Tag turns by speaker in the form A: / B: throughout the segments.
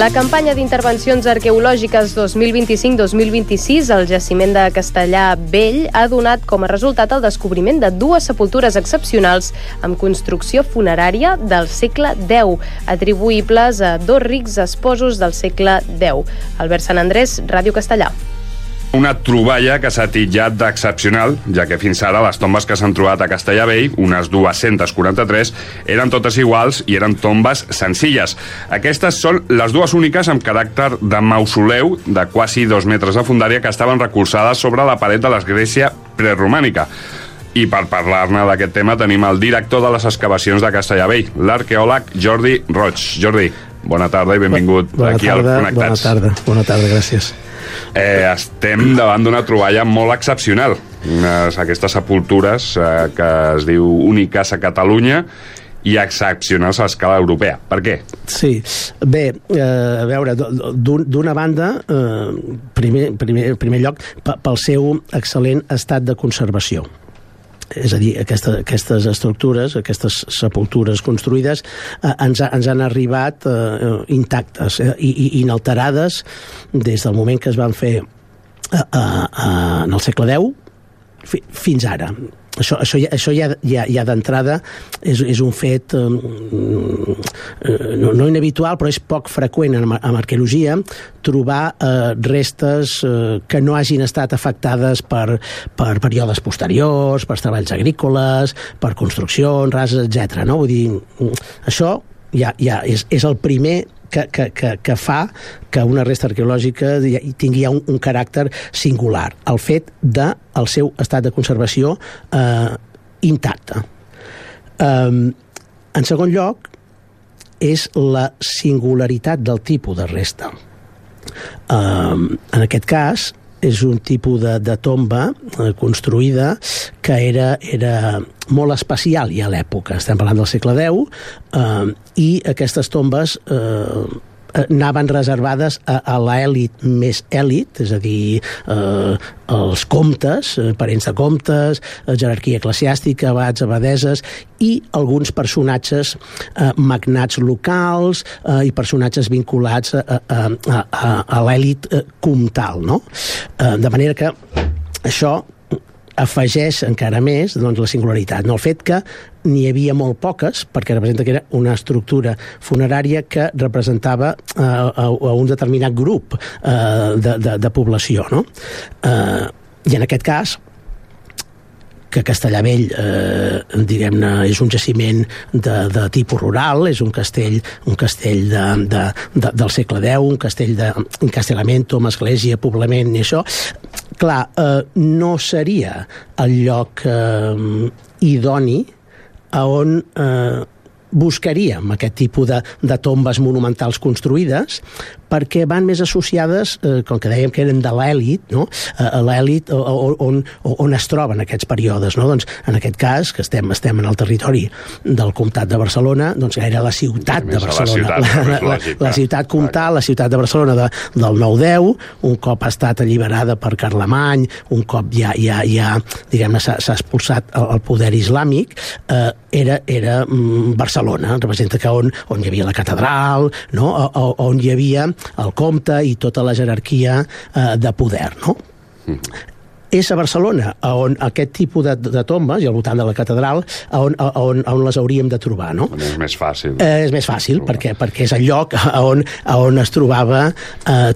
A: La campanya d'intervencions arqueològiques 2025-2026 al jaciment de Castellar Vell ha donat com a resultat el descobriment de 2 sepultures excepcionals amb construcció funerària del segle X, atribuïbles a 2 rics esposos del segle X. Albert Sant Andrés, Ràdio Castellar.
B: Una troballa que s'ha titllat d'excepcional, ja que fins ara les tombes que s'han trobat a Castellar Vell, unes 243, eren totes iguals i eren tombes senzilles. Aquestes són les 2 úniques amb caràcter de mausoleu de quasi 2 metres de fondària que estaven recolzades sobre la paret de l'església preromànica. I per parlar-ne d'aquest tema tenim el director de les excavacions de Castellar Vell, l'arqueòleg Jordi Roig. Jordi, bona tarda i benvingut aquí al Connectats.
C: Bona tarda, gràcies.
B: Estem davant d'una troballa molt excepcional. Aquestes sepultures que es diu úniques a Catalunya i excepcionals a escala europea. Per què?
C: Sí, bé, a veure, d'una banda, primer lloc, pel seu excel·lent estat de conservació. És a dir, aquestes estructures, aquestes sepultures construïdes ens han arribat intactes i inalterades des del moment que es van fer en el segle X fins ara. Això ja d'entrada és un fet no inhabitual, però és poc freqüent en arqueologia trobar restes que no hagin estat afectades per períodes posteriors, per treballs agrícoles, per construccions, rases, etc. Vull dir, això ja és el primer que fa que una resta arqueològica tingui un caràcter singular, el fet del seu estat de conservació intacte. En segon lloc, és la singularitat del tipus de resta. En aquest cas, és un tipus de tomba construïda que era molt especial ja a l'època. Estem parlant del segle X i aquestes tombes anaven reservades a l'elit més elit, és a dir, els comtes, parents de comtes, jerarquia eclesiàstica, abats, abadeses i alguns personatges magnats locals i personatges vinculats a l'elit comtal, no? De manera que això afegeix encara més la singularitat. El fet que n'hi havia molt poques, perquè representa que era una estructura funerària que representava a un determinat grup de població. No? I en aquest cas, que Castellar Vell diguem-ne és un jaciment de tipus rural, és un castell del segle X, un castell d'encastellamento amb església, poblament i això, clar, no seria el lloc idoni a on buscaríem aquest tipus de tombes monumentals construïdes, perquè van més associades, com que dèiem que eren de l'èlit, no? A l'èlit on es troben aquests períodes. No? Doncs, en aquest cas, que estem en el territori del Comtat de Barcelona, doncs era la ciutat de Barcelona. La ciutat comtal, la ciutat de Barcelona del 9-10, un cop ha estat alliberada per Carlemany, un cop ja diguem-ne, s'ha expulsat el poder islàmic, era Barcelona, representa que on hi havia la catedral, no? On hi havia el comte i tota la jerarquia de poder, no? És a Barcelona on aquest tipus de tombes, i al voltant de la catedral, on les hauríem de trobar, no?
B: És més fàcil.
C: És més fàcil, perquè és el lloc on es trobava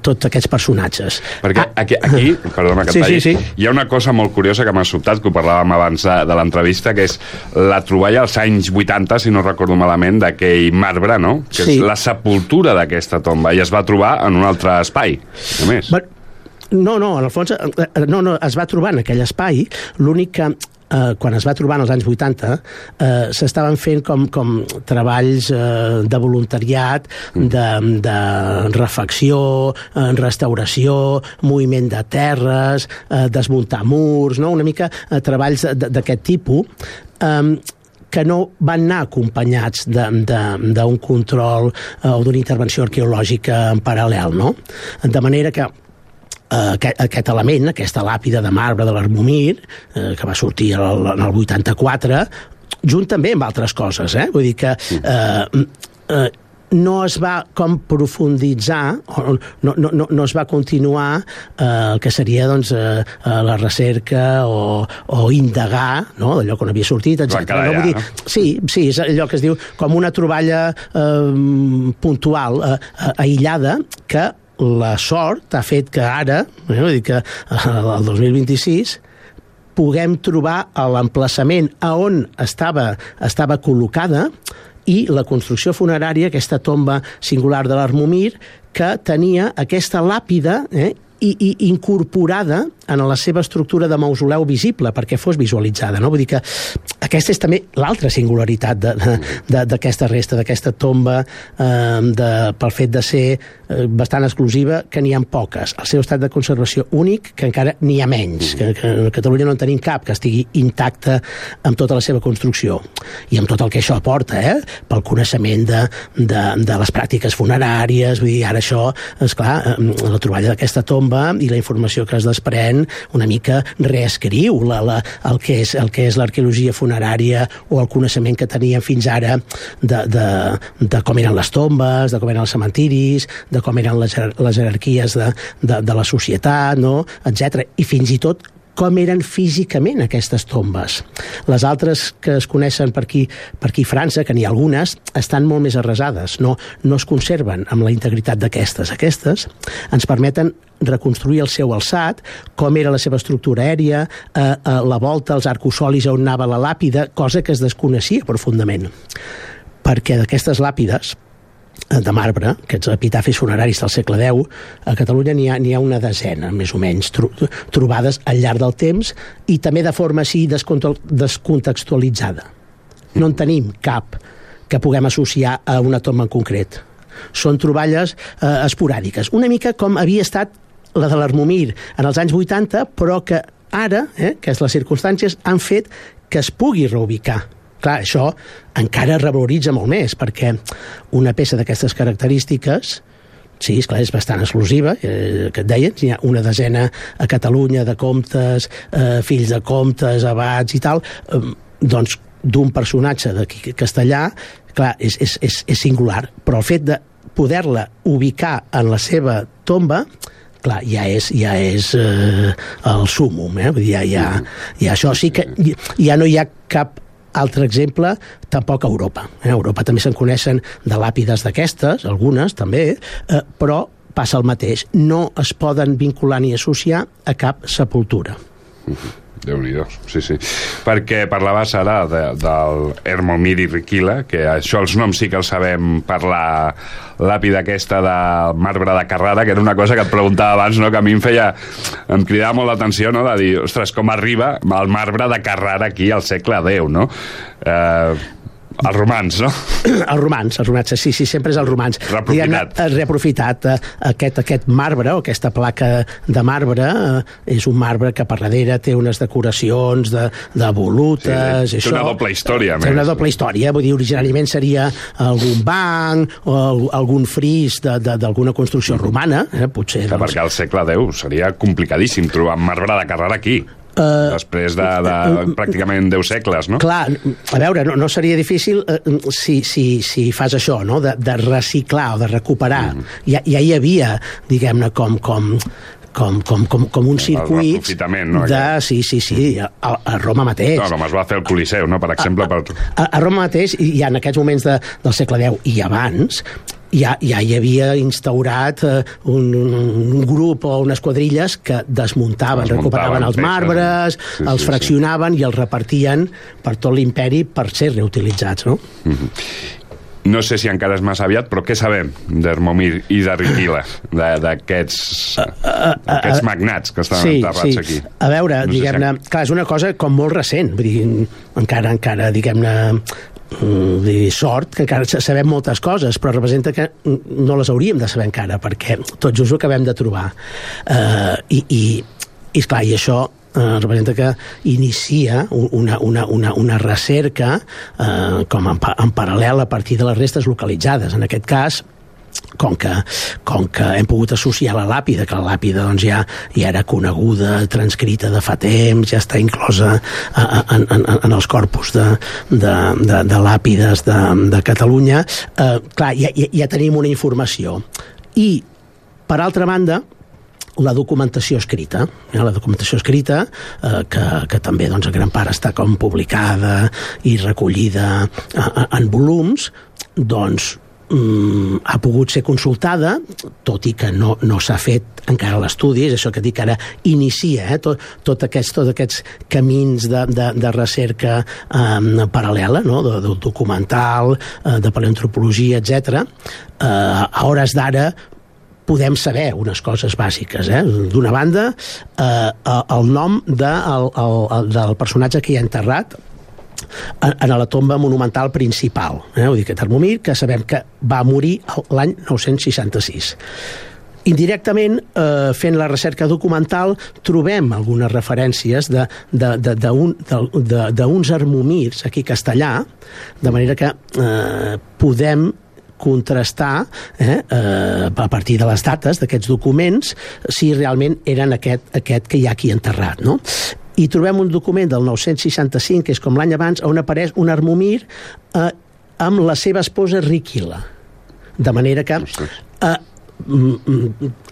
C: tots aquests personatges.
B: Perquè aquí perdona que et talli, sí. Hi ha una cosa molt curiosa que m'ha sobtat, que ho parlàvem abans de l'entrevista, que és la troballa als anys 80, si no recordo malament, d'aquell marbre, no? Que és la sepultura d'aquesta tomba, i es va trobar en un altre espai, només.
C: No, en el fons es va trobar en aquell espai, l'únic que quan es va trobar en els anys 80 s'estaven fent com treballs de voluntariat, de refacció, restauració, moviment de terres, desmuntar murs, no? Una mica treballs d'aquest tipus, que no van anar acompanyats d'un control o d'una intervenció arqueològica en paral·lel, no? De manera que aquest element, aquesta làpida de marbre de l'Armomir, que va sortir en el 84, junt també amb altres coses, vull dir que no es va com profunditzar, no es va continuar el que seria doncs, la recerca o indagar, no? D'allò que no havia sortit, etc.
B: No, vull dir,
C: sí, és allò que es diu com una troballa puntual, aïllada, que la sort ha fet que ara, vull dir que el 2026 puguem trobar l'emplaçament a on estava col·locada i la construcció funerària, aquesta tomba singular de l'Armomir, que tenia aquesta làpida i incorporada en la seva estructura de mausoleu visible perquè fos visualitzada, no? Vull dir que aquesta és també l'altra singularitat d'aquesta resta, d'aquesta tomba, pel fet de ser bastant exclusiva, que n'hi ha poques. El seu estat de conservació únic, que encara n'hi ha menys, que a Catalunya no en tenim cap que estigui intacta amb tota la seva construcció i amb tot el que això aporta, pel coneixement de les pràctiques funeràries. Vull dir, ara això, esclar, la troballa d'aquesta tomba i la informació que es desprèn una mica reescriu el que és l'arqueologia funerària o el coneixement que teníem fins ara de com eren les tombes, de com eren els cementiris, de com eren les jerarquies de la societat, no? Etc. I fins i tot com eren físicament aquestes tombes. Les altres que es coneixen per aquí a França, que n'hi ha algunes, estan molt més arrasades, no es conserven amb la integritat d'aquestes. Aquestes ens permeten reconstruir el seu alçat, com era la seva estructura aèria, la volta, els arcosolis on anava la làpida, cosa que es desconeixia profundament. Perquè d'aquestes làpides de marbre, aquests epitafis funeraris del segle X, a Catalunya n'hi ha una desena, més o menys, trobades al llarg del temps i també de forma així descontextualitzada. No en tenim cap que puguem associar a una tomba en concret. Són troballes esporàdiques, una mica com havia estat la de l'Armomir en els anys 80, però que ara, que és les circumstàncies, han fet que es pugui reubicar. Clar, això encara revaloritza molt més, perquè una peça d'aquestes característiques, sí, esclar, és bastant exclusiva, que et deien, hi ha una desena a Catalunya de comtes, fills de comtes, abats i tal, doncs d'un personatge d'aquí castellà, clar, és singular, però el fet de poder-la ubicar en la seva tomba, clar, ja és el súmmum, vull dir, ja això sí que ja no hi ha cap altre exemple, tampoc a Europa. A Europa també se'n coneixen de làpides d'aquestes, algunes també, però passa el mateix. No es poden vincular ni associar a cap sepultura.
B: Déu-n'hi-do, sí. Perquè parlaves ara del Hermomir i Riquila, que això els noms sí que els sabem per la làpida aquesta de marbre de Carrara, que era una cosa que et preguntava abans, no? Que a mi em cridava molt l'atenció, no? De dir, ostres, com arriba el marbre de Carrara aquí al segle X, no? Els romans, no?
C: Els romans, sí, sempre és els romans. Reaprofitat. Aquest marbre, o aquesta placa de marbre, és un marbre que per darrere té unes decoracions de volutes.
B: Té una doble història,
C: més. Té una doble història, vull dir, originàriament seria algun banc o algun fris d'alguna construcció romana, potser.
B: Perquè al segle X seria complicadíssim trobar marbre de Carrara aquí. Després de pràcticament 10 segles, no?
C: Clar, a veure, no seria difícil si fas això, no? De reciclar o de recuperar. Ja hi havia, diguem-ne, com un circuit de... Sí, a Roma mateix.
B: No, com es va fer el Coliseu, no? Per exemple.
C: A Roma mateix, i en aquests moments del segle X i abans, ja hi havia instaurat un grup o unes quadrilles que recuperaven els marbres, els fraccionaven i els repartien per tot l'imperi per ser reutilitzats, no?
B: No sé si encara és massa aviat, però què sabem d'Hermomir i de Riquila, d'aquests magnats que estan enterrats aquí?
C: A veure, diguem-ne, clar, és una cosa com molt recent, vull dir, encara diguem-ne, sort, que encara sabem moltes coses, però representa que no les hauríem de saber encara, perquè tot just ho acabem de trobar. I esclar, i això representa que inicia una recerca com en paral·lel a partir de les restes localitzades. En aquest cas, com que hem pogut associar la làpida, que la làpida doncs, ja era coneguda, transcrita de fa temps, ja està inclosa en els corpus de làpides de Catalunya, clar, ja tenim una informació. I, per altra banda, la documentació escrita, que també doncs, en gran part està com publicada i recollida en volums, doncs ha pogut ser consultada, tot i que no s'ha fet encara l'estudi, és això que dic que ara inicia tots aquests camins de recerca paral·lela, no? de documental, de paleoantropologia, etc. A hores d'ara podem saber unes coses bàsiques. D'una banda, el nom del personatge que hi ha enterrat en la tomba monumental principal, vull dir que Termomir, que sabem que va morir l'any 966. Indirectament, fent la recerca documental, trobem algunes referències d'uns armomirs aquí a Castellà, de manera que podem contrastar a partir de les dates d'aquests documents si realment eren aquest que hi ha aquí enterrat, no? I trobem un document del 965, que és com l'any abans, on apareix un armomir amb la seva esposa Riquila. De manera que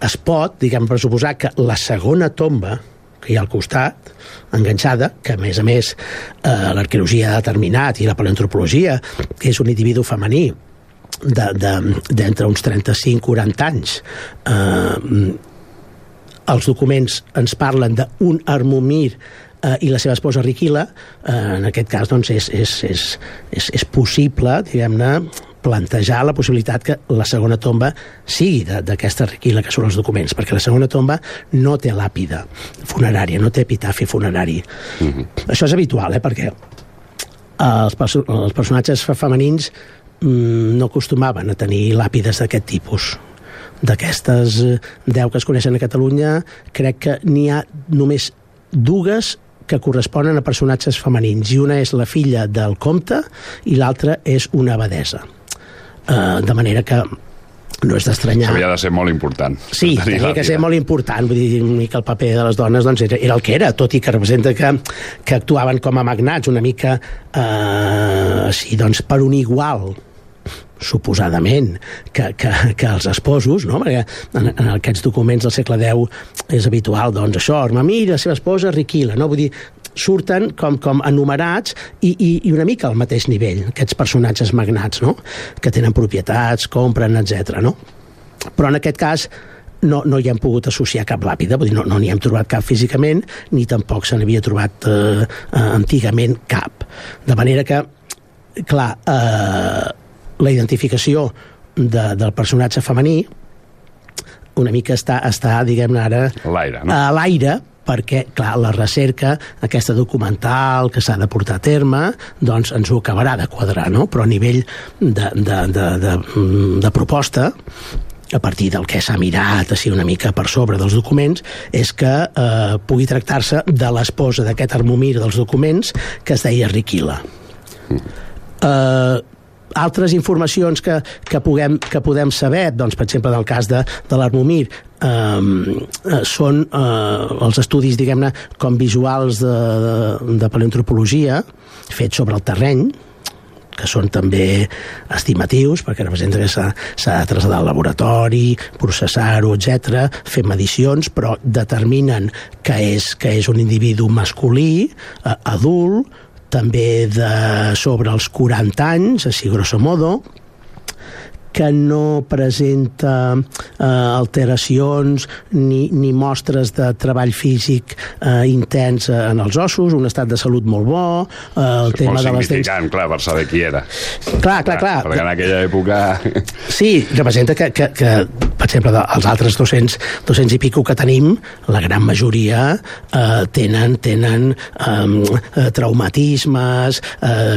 C: es pot, diguem, pressuposar que la segona tomba que hi ha al costat, enganxada, que a més l'arqueologia ha determinat, i la paleoantropologia, que és un individu femení d'entre uns 35-40 anys, els documents ens parlen d'un armomir i la seva esposa Riquila. En aquest cas doncs, és possible, diguem-ne, plantejar la possibilitat que la segona tomba sigui d'aquesta Riquila que són els documents, perquè la segona tomba no té làpida funerària, no té epitafi funerari. Això és habitual, perquè els personatges femenins no acostumaven a tenir làpides d'aquest tipus. D'aquestes 10 que es coneixen a Catalunya, crec que n'hi ha només 2 que corresponen a personatges femenins, i una és la filla del comte i l'altra és una abadesa. De manera que no és d'estranyar.
B: Havia de ser molt important.
C: Sí, havia de ser molt important. Vull dir, una mica el paper de les dones doncs, era el que era, tot i que representa que actuaven com a magnats, una mica així, doncs, per un igual, suposadament, que els esposos, no? Perquè en aquests documents del segle X és habitual, doncs això, Armamir i la seva esposa Riquila, no? Vull dir, surten com enumerats i una mica al mateix nivell, aquests personatges magnats, no? Que tenen propietats, compren, etc. No? Però en aquest cas no hi hem pogut associar cap làpida, vull dir, no n'hi hem trobat cap físicament, ni tampoc se n'havia trobat antigament cap. De manera que, clar, la identificació del personatge femení una mica està diguem-ne ara a l'aire, perquè, clar, la recerca, aquesta documental que s'ha de portar a terme, doncs ens ho acabarà de quadrar, no? Però a nivell de proposta, a partir del que s'ha mirat així una mica per sobre dels documents, és que pugui tractar-se de l'esposa d'aquest armomir dels documents, que es deia Riquila. Altres informacions que podem saber, doncs, per exemple, del cas de l'Armomir, són els estudis, diguem-ne, com visuals de paleoantropologia, fets sobre el terreny, que són també estimatius, perquè representa que s'ha de traslladar al laboratori, processar-ho, etc., fer medicions, però determinen que és un individu masculí, adult, també sobre els 40 anys, així grosso modo, que no presenta alteracions ni mostres de treball físic intens en els ossos, un estat de salut molt bo, el tema de les dents...
B: Molt significant, clar, per saber qui era.
C: Clar.
B: Perquè en aquella època...
C: Sí, representa que per exemple, els altres 200 i pico que tenim, la gran majoria tenen traumatismes,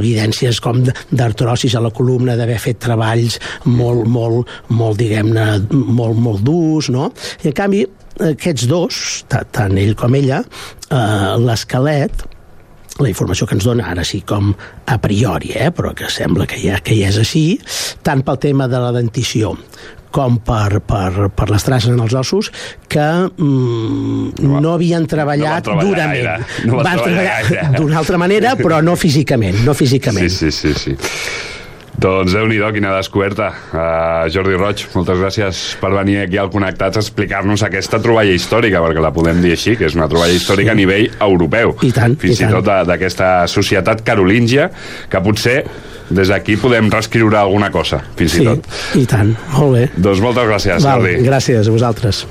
C: evidències com d'artrosis a la columna, d'haver fet treballs molt diguem-ne, molt durs, no? I en canvi, aquests dos, tant ell com ella, l'esquelet, la informació que ens dona ara sí com a priori, però que sembla que ja és així, tant pel tema de la dentició com per les traces en els ossos, que no havien treballat durament. Van treballar d'una altra manera, però no físicament.
B: Sí. Doncs Déu-n'hi-do, quina descoberta. Jordi Roig, moltes gràcies per venir aquí al Connectats a explicar-nos aquesta troballa històrica, perquè la podem dir així, que és una troballa històrica a nivell europeu. Fins i tot d'aquesta societat carolíngia, que potser des d'aquí podem reescriure alguna cosa, fins i tot.
C: I tant, molt bé.
B: Doncs moltes gràcies, Jordi.
C: Gràcies a vosaltres.